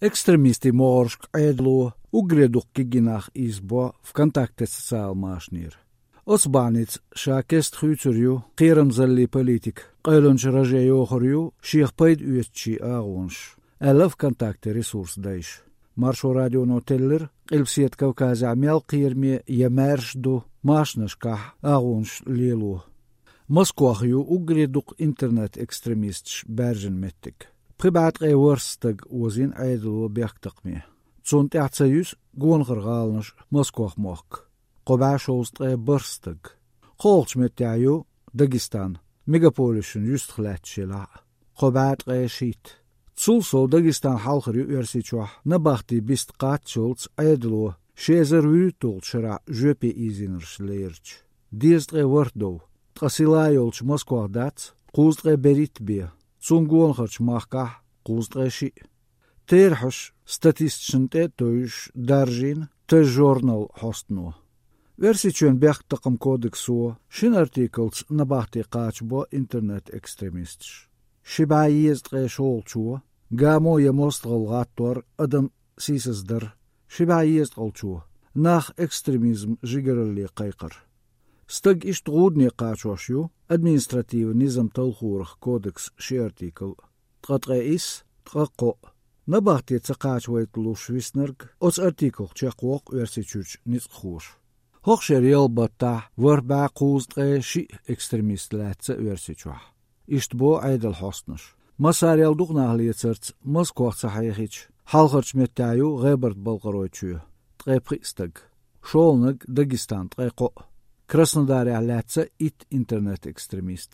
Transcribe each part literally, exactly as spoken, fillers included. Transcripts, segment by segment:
Экстремистийн могӀаршка Ӏедало уггаре дукха кегий нах ийзабо ВКонтакте социалан машанера. Оцу бахьаница ша кеста хуьйцур ю кхерамзаллин политика, къевлинчу раже йохур ю шех пайда оьцучийн агӀонаш, аьлла ВКонтакте ресурсан дайша. Маршо радионо теллира, Къилбаседа Кавказехь мел кхераме я маьрша ду машанашкахь агӀонаш лело. Москох ю уггаре дукха интернет-экстремисташ баьржина меттиг. Пхи бӀе ткъе ворхӀ стаг озийна Ӏедало бехктакхаме. Цунна тӀаьхьа ца юьсу гонахара гӀаланаш а, Москох мохк. Кхо бӀе шовзткъе бархӀ стаг. КхоалгӀачу меттехь ю Дагестан, мегаполисашна юьстах лаьтташ елахь а, кхо бӀе ткъе шийтта. Цул сов Дагестан хьалхара ю Оьрсийчохь набахтин бист кхаччалц Ӏедало ши эзар вуьрхӀитталгӀачу шарахь жоьпе ийзийнарш лерча. Дезткъе ворхӀ дов, ткъа сила йолчу Москох дац кхузткъе берхӀитта бен, цунна гонахарчу махкахь кхузткъе шиъ. Терахьаш статисташна тӀе а тевжаш даржийна Тез-журнал хьостано. Оьрсийчоьнан бехктакхаман кодексо шина артиклца набахте кхачабо интернет-экстремисташ. Ши бӀе езткъе шолгӀачо, гамо я мостагӀалла гӀаттор адам сийсаздар, ши бӀе езткъалгӀачо, нах экстремизман жигаралле кхайкхар. Стаг иштта гӀудане кхачош ю административан низам талхорах кодексан ши артикл а. Ткъа ткъе исс, ткъа кхоъ. Набахте ца кхачавайталуш виснарг оцу артиклах чекхвоккху Оьрсийчуьрчу ницкъахоша. ХӀокху шеран ялх баттахь ворхӀ бӀе кхузткъе шиъ экстремист лаьцна Оьрсийчохь. Иштта боху Ӏедалан хьостанаша. Массарел дукха нах лецарца Москох ца хьехийча, хьалхарчу меттехь ю ГӀебарта-Балкхаройчоь, ткъе пхиъ стаг. ШолгӀаниг Дагестан, ткъе кхоъ. Краснодарехь лаьцна итт интернет-экстремист.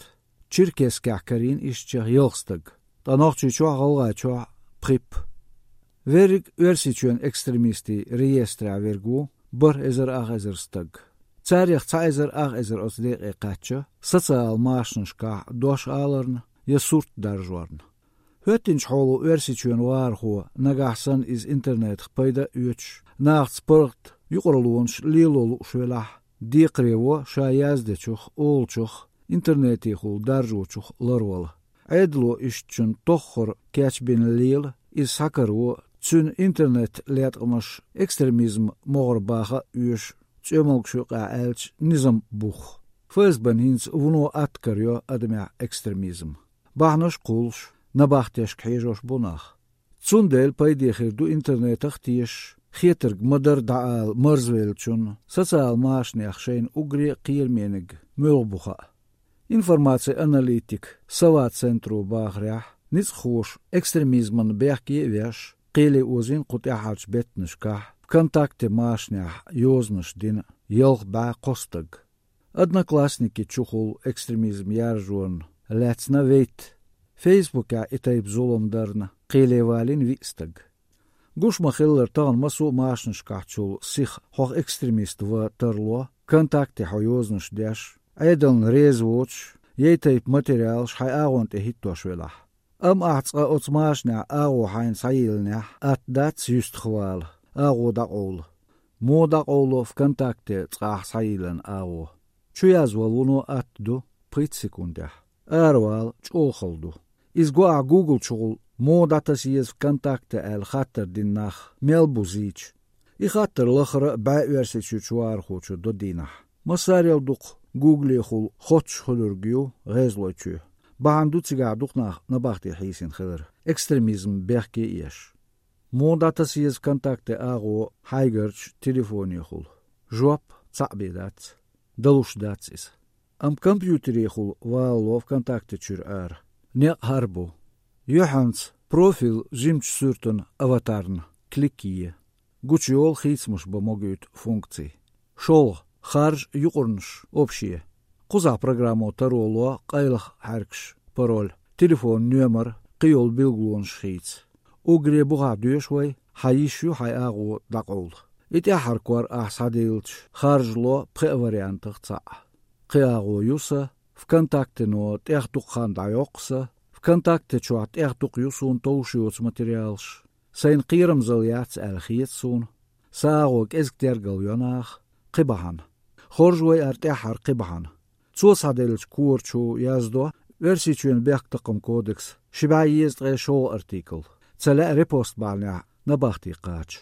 Черкесскехь карийна ишттачех ялх стаг, ткъа Нохчийчохь, ГӀалгӀайчохь пхип. Верриг Оьрсийчоьнан экстремистийн реестрехь верг ву бархӀ эзар ах эзар стаг. Царех цхьа эзар ах эзар оцу декъе кхаьчна социалан машанашкахь дош аларна я сурт даржорна. ХӀоьттинчу хьоло Оьрсийчоьнан вахархо, нагахь санна иза интернетах пайда а оьцуш, нахаца паргӀат юкъараллонаш лело лууш велахь, декхаре во ша яздечух, олучух, интернетехула даржочух ларвала. Ӏедало ишттачунна тоххара кечбина лела, иза схьакаро, цуьнан интернет-латкъамаш экстремизман могӀара баха а оьшу, цӀоьмалгаш юкъахь аьлча, низам бух. ФСБ-н хӀинца вуно атта карайо адамехь экстремизм. Бахьанаш а кхуллуш, набахтешка хьежош бу нах. Цундела пайде хир ду интернетах а тешаш, хетарг ма-дарра дӀаала марзвеллачунна, социалан машанех шайна уггаре а кхерамениг муьлха бу хаа. Информацин аналитикан Сова центро бахарехь, ницкъахоша экстремизмана бехке а веш, кхеле озийна кху тӀаьххьарчу беттанашкахь ВКонтакте машанехь йозанаш дина ялх бӀе кхо стаг. Одноклассники чухула экстремизм яржорна лаьцна вейтта, Фейсбукехь и тайпа зулам дарна кхеле валийна виъ стаг. Гуш ма-хиллара, тахана массо а машанашкахьчул сиха хьох экстремист ван тарло, ВКонтакте хьо йозанаш деш, Ӏедална реза воцуш, я и тайпа материалаш хьайн агӀон тӀе хӀиттош велахь. Амма ахь цкъа оцу машанехь агӀо хьайна схьайиллинехь, атта дац юьстах вала, агӀо дӀакъовла. Муха дӀакъовло ВКонтакте цкъа ахь схьайиллина агӀо? Чу язвала вуно атта ду пхийтта секундехь. Аравала чӀогӀа хала ду. Иза го ахь Google чухула, муха дӀатаса еза ВКонтакте аьлла хаттар дина нах мел бу зийча. И хаттар лахара а бӀе Оьрсийчуьрчу вахархочо до дийнахь. Массарел дукха Гуглехула хоттуш хуьлург ю ГӀезалойчоь. Бахьана ду цигахь дукха нах набахте хьийсина хилар, экстремизм бехке а еш. Муха дӀатаса еза ВКонтакте агӀо хьайгарчу телефонехула? Жоп цхьаъ бен дац. Далуш дац иза. Амма компьютерехула валало ВКонтакте чуьра ара. Некъ хӀара бу. Юьхьанца профил жимачу суьртана, аватарна, клик е. Гучуйолу хийцамаш бан могуьйту функций. ШолгӀа, харжа юкъарнаш, общие. Кхузахь программо таро ло къайлаха хьаьркаш, пароль, телефон номер, кхин йолу билгалонаш хийца. Уггаре бухахь доьшу вай, хьан йиш ю хьайн агӀо дӀакъовла. И тӀаьххьара кор ахь схьадиллича, харжа ло пхеа вариантах цхьаъ. Кхин агӀо ю сан, ВКонтактено тӀех дукха хан дӀайоккху сан, ВКонтакте чохь тӀех дукха ю суна товш йоцу материалаш. Сайна кхерамзалла яц аьлла хета суна. Сан агӀо кӀезиг тергалйо наха, кхин бахьана. Хоржу вай ара тӀаьххьара кхин бахьана. Цо схьаделлачу корачу яздо Оьрсийчоьнан бехктакхаман кодексан ши бӀе езткъе шолгӀа артикл. Ца лаьа репост бахьанехь набахте кхача.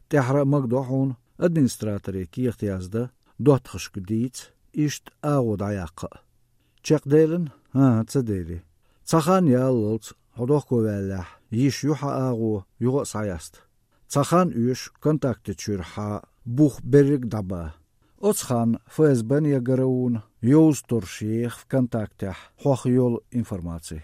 ТӀехьара а магадо хьуна администраторе кехат яздан, доттагӀашка дийца, иштта агӀо дӀаяккха а. Чекхделина? ХӀан-хӀа, ца дели. Цхьа хан яллалц, хьо дохковаьллехь, йиш ю хьан агӀо юха а схьаяста. Цхьа хан оьшу контакте чуьра хьа бух берриг дӀаба. Оцу ханна ФСБ-на я ГРУ-на йовза тӀорш еха ВКонтактехь хьох йолу информаци.